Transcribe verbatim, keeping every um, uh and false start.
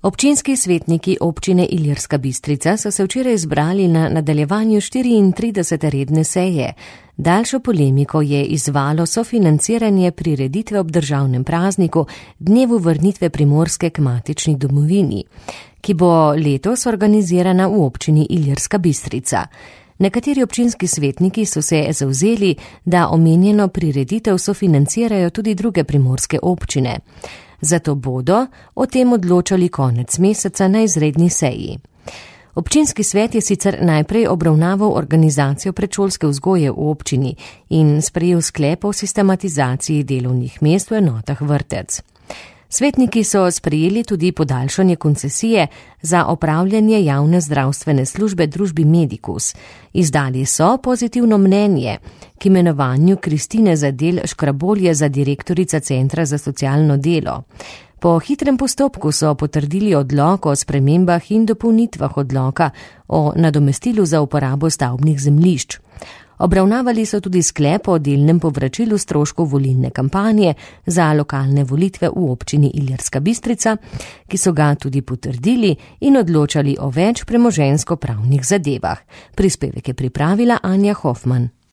Občinski svetniki občine Ilirska Bistrica so se včeraj zbrali na nadaljevanju štiriintridesete redne seje. Daljšo polemiko je izzvalo sofinanciranje prireditve ob državnem prazniku Dnevu vrnitve Primorske k matični domovini, ki bo letos organizirana v občini Ilirska Bistrica. Nekateri občinski svetniki so se zavzeli, da omenjeno prireditev sofinancirajo tudi druge primorske občine. Zato bodo o tem odločali konec meseca na izredni seji. Občinski svet je sicer najprej obravnaval organizacijo predšolske vzgoje v občini in sprejel sklep o sistematizaciji delovnih mest v enotah vrtec. Svetniki so sprejeli tudi podaljšanje koncesije za opravljanje javne zdravstvene službe družbi Medicus. Izdali so pozitivno mnenje k imenovanju Kristine Zadel Škrabolje za direktorica Centra za socialno delo. Po hitrem postopku so potrdili odlok o spremembah in dopolnitvah odloka o nadomestilu za uporabo stavbnih zemljišč. Obravnavali so tudi sklep o delnem povračilu stroškov volilne kampanje za lokalne volitve v občini Ilirska Bistrica, ki so ga tudi potrdili in odločali o več premoženjsko-pravnih zadevah. Prispevek je pripravila Anja Hofman.